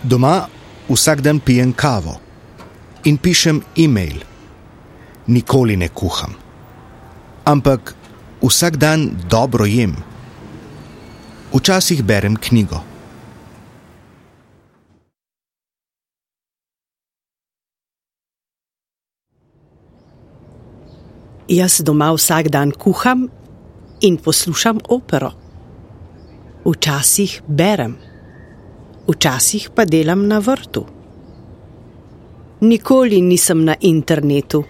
Doma vsak dan pijem kavo in pišem e-mail. Nikoli ne kuham. Ampak vsak dan dobro jem. Včasih berem knjigo. Jaz doma vsak dan kuham in poslušam opero. Včasih berem, včasih pa delam na vrtu. Nikoli nisem na internetu.